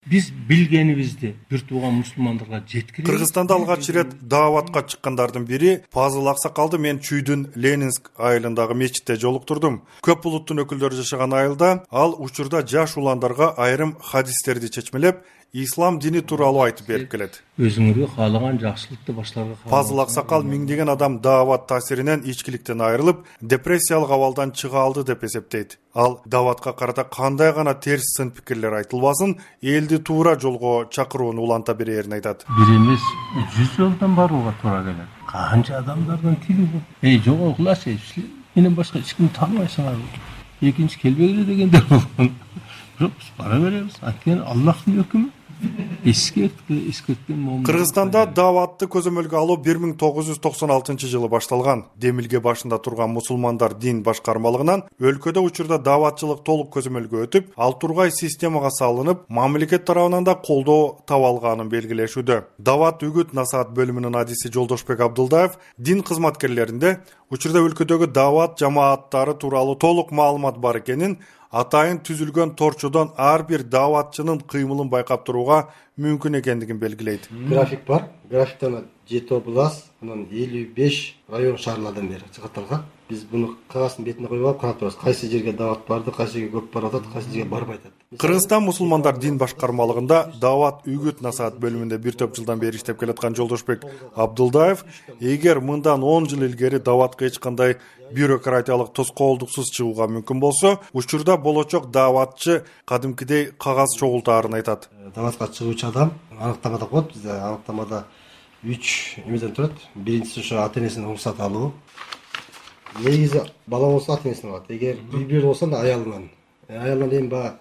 Биз билгенибизди бир тууган мусулмандарга жеткиребиз. Кыргызстанда алгач ирет дааватка чыккандардын бири Пазыл Аксакалды мен Чүйдүн Ленинск айылындагы мечитте жолуктурдум. Көп булуттун өкүлдөрү жашаган айылда ал учурда жаш уландарга айрым хадистерди чечмелеп, ислам дини тууралуу айтып берип келет. Өзүңөргө каалаган жакшылыкты башларга. Пазыл Аксакал миңдеген адам даават таасиринен ичкиликтен айрылып, депрессиялык абалдан чыга алды деп эсептейт. Ал дааватка карата кандай гана терс сын пикирлер айтылбасын, элди туура жолго чакырууну уланта берерин айтат. Бир эмес 100 жолдон барууга туура келет. Канча адамдардын тили бул. Жогокулачы, менен башка эч кимди тааныбайсыңар. Экинчи келбегиле дегендер болгон. Бирок биз бара беребиз. Анткени Аллахтын өкүмү. Кыргызстанда дааватты көзөмөлгө алуу 1996 башталган. Демилге башында турган мусулмандар дин башкармалыгынан өлкөдө учурда дааватчылык толук көзөмөлгө өтүп, ал тургай системага салынып, мамлекет тарабынан да колдоо таба алганын белгилешүүдө. Даават үгүт насаат бөлүмүнүн адиси Жолдошбек Абдулдаев дин кызматкерлеринде учурда өлкөдөгү даават жамааттары тууралуу толук маалымат бар экенин, атайын түзүлгөн торчодон ар бир дааватчынын кыймылын байкап турууга мүмкүн экендигин белгилейт. График бар. Графиктен 7 область, анан 55 район шаарлардан бери чыгатталган. Биз буну кагаздын бетине коюп алып карап турабыз. Кайсы жерге даават барды, кайсы жерге көп барып атат, кайсы жерге барбай атат. Кыргызстан мусулмандар дин башкармалыгында даават үгүт насаат бөлүмүндө бир топ жылдан бери иштеп келаткан Жолдошбек Абдулдаев, эгер мындан 10 жыл илгери дааватка эч кандай бюрократиялык тоскоолдуксуз чыгууга мүмкүн болсо, учурда болочок дааватчы кадимкидей кагаз чогултаарын айтат. Дааватка чыгуучу адам аныктамада коет. Бизде аныктамада 3 эмеден турат. Биринчиси ошо ата-энесинин уруксаты алуу. Негизи бала болсо ата-энесинен алат. Эгер үй-бүлө болсо да аялынан. Аялынан эми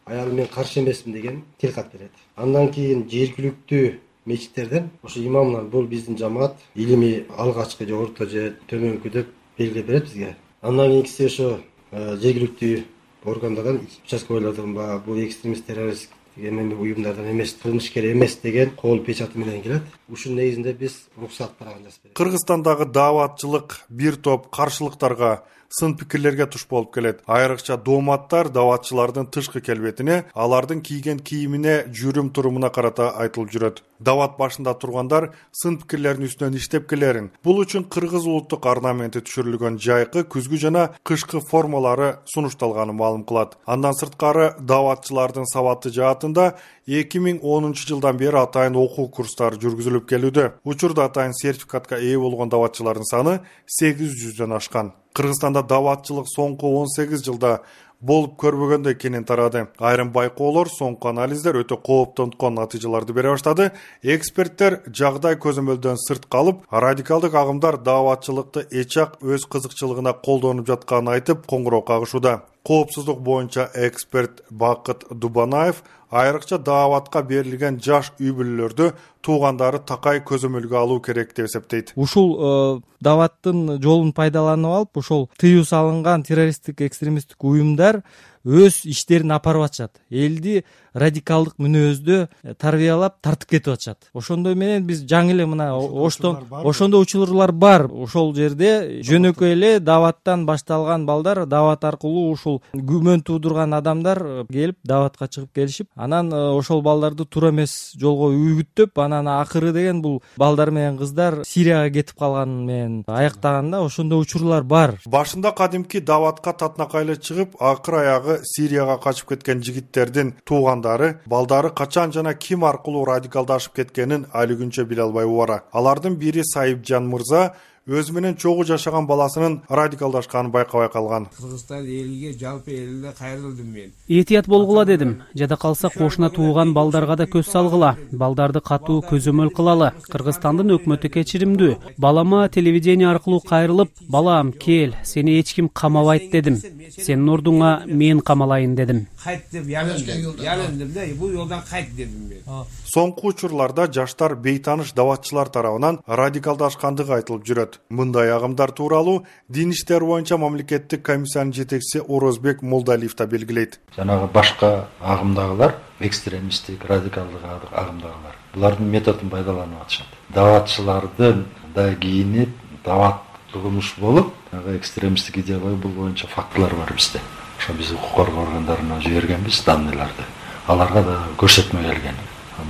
аялым мен каршы эмесмин деген тилкат берет. Андан кийин жергиликтүү мечиттерден ошо имамдар бул биздин жамаат илимий алгачкы же орто же төмөнкү деп белгиле берет бизге. Андан кийинкиси ошо жергиликтүү органдардан участковыйлардан бул экстремист террорист уюмдардан эмес, кылмышкер эмес деген кол печаты менен келет. Ушунун негизинде биз уруксат барган жазып беребиз. Кыргызстандагы дааватчылык бир топ каршылыктарга, сын пикирлерге туш болуп келет. Айрыкча дооматтар дааватчылардын тышкы келбетине, алардын кийген кийимине, жүрүм-турумуна карата айтылып жүрөт. Даават башында тургандар сын пикирлердин үстүнөн иштеп келерин, бул үчүн кыргыз улуттук орнаменти түшүрүлгөн жайкы, күзгү жана кышкы формалары сунушталганын маалым кылат. Андан сырткары дааватчылардын сабаты жаатында 2010 жылдан бери атайын окуу курстары жүргүзүлүп келүүдө. Учурда атайын сертификатка ээ болгон дааватчылардын саны 800дөн ашкан. Кыргызстанда дааватчылык соңку 18 жылда болуп көрбөгөндөй экенин тарады. Айрым байкоолор, соңку анализдер өтө кооптонткон натыйжаларды бере баштады. Эксперттер жагдай көзөмөлдөн сырт калып, радикалдык агымдар дааватчылыкты эчак өз кызыкчылыгына колдонуп жатканын айтып, коңгуроо кагышууда. Коопсуздук боюнча эксперт Бакыт Дубанаев айрыкча дааватка берилген жаш үй-бүлөлөрдү туугандары такай көзөмөлгө алуу керек деп эсептейт. Ушул дааваттын жолун пайдаланып алып, ошол тыюу салынган террористтик экстремисттик уюмдар өз иштерин апарып атышат. Элди радикалдык мүнөздө тарбиялап тартып кетип атышат. Ошондой менен биз жаңы эле мына ошондой учурлар бар. Ошол жерде жөнөкөй эле дааваттан башталган балдар, даават аркылуу ушул күмөн туудурган адамдар келип дааватка чыгып келишип, анан ошол балдарды туура эмес жолго үгүттөп, анан акыры деген бул балдар менен кыздар Сирияга кетип калган менен аяктаганда ошондой учурлар бар. Башында кадимки дааватка татнакайлы чыгып, акыр аягы Сирияга качып кеткен жигиттердин туугандары, балдары качан жана ким аркылуу радикалдашып кеткенин али күнчө биле албай убара. Алардын бири Сайыпжан мырза өзү менен чогуу жашаган баласынын радикалдашканын байкабай калган. Кыргызстан элиге, жалпы элине кайрылдым мен. Этият болгула дедим. Жада калса кошуна тууган балдарга да көз салгыла. Балдарды катуу көзөмөл кылалы. Кыргызстандын өкмөтү кечиримдүү. Балама телевидение аркылуу кайрылып, балам кел, сени эч ким камабайт дедим. Сенин ордуңа мен камалайын дедим. Кайт деп ялындым да, бул жолдан кайт дедим мен. Соңку учурларда жаштар бейтаныш дааватчылар тарабынан радикалдашкандыгы айтылып жүрөт. Мындай агымдар тууралуу дин иштери боюнча мамлекеттик комиссиянын жетекчиси Орозбек Молдалиев да белгилейт. Жанагы башка агымдагылар, экстремисттик, радикалдык агымдагылар, булардын методун пайдаланып атышат. Дааватчылардын да кийинип, даават угумуш болуп, экстремисттик идея бул боюнча фактылар бар бизде. Ошо биз укук коргоо органдарына жибергенбиз данныйларды. аларга да көрсөтмө келген.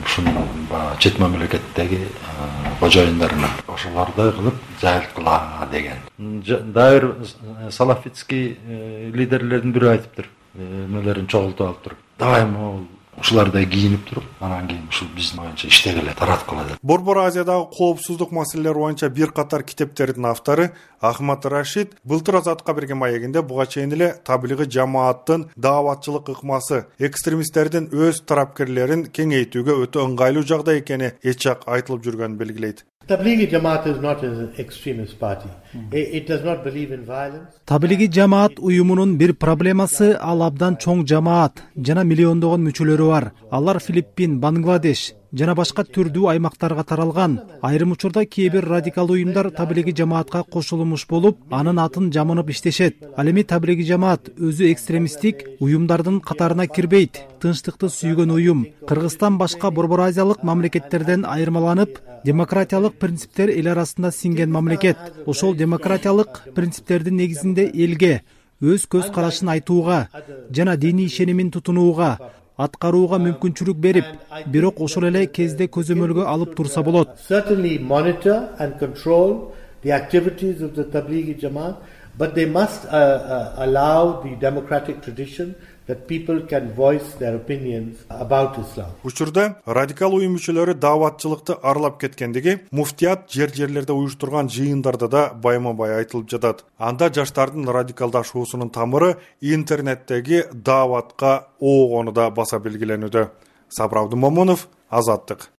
Ушунун чет мамлекеттеги кожоюндарына ошолордой кылып жайылткыла деген. Дагы бир салафитский лидерлердин бири айтыптыр. Эмелерин чогултуп алып туруп, давай могул ушулардай кийинип туруп, анан кийин ушул биздин боюнча иштегиле, тараткыла деп. Борбор Азиядагы коопсуздук маселелери боюнча бир катар китептердин автору Ахмад Рашид былтыр Азатка берген маегинде буга чейин эле таблигый жамааттын дааватчылык ыкмасы экстремисттердин өз тарапкерлерин кеңейтүүгө өтө ыңгайлуу жагдай экени эч жак айтылып жүргөнүн белгилейт. Tablighi Jamaat is not an extremist party. It does not believe in violence. Таблиги жамаат уюмунун бир проблемасы ал абдан чоң жамаат жана миллиондогон мүчөлөрү бар. Алар Филиппин, Бангладеш жана башка түрдүү аймактарга таралган. Айрым учурда кээ бир радикал уюмдар таблиги жамаатка кошулмуш болуп, анын атын жамынып иштешет. Ал эми таблиги жамаат өзү экстремисттик уюмдардын катарына кирбейт. Тынчтыкты сүйгөн уюм. Кыргызстан башка борбор азиялык мамлекеттерден айырмаланып, демократиялык принциптер эл арасында сиңген мамлекет. Ошол демократиялык принциптердин негизинде элге өз көз карашын айтууга жана диний ишенимин тутунууга, аткарууга мүмкүнчүлүк берип, бирок ошол эле кезде көзөмөлгө алып турса болот. Certainly monitor and control the activities of the Tablighi Jamaat, but they must allow the democratic tradition that people can voice their opinions about Islam. Учурда радикал уюм мүчөлөрү дааватчылыкты аралап кеткендиги муфтият жерлерде уюштурган жыйындарда да байма-бай айтылып жатат. Анда жаштардын радикалдашуусунун тамыры интернеттеги дааватка оогону да баса белгиленүүдө. Сабыр Абдумомунов, Азаттык.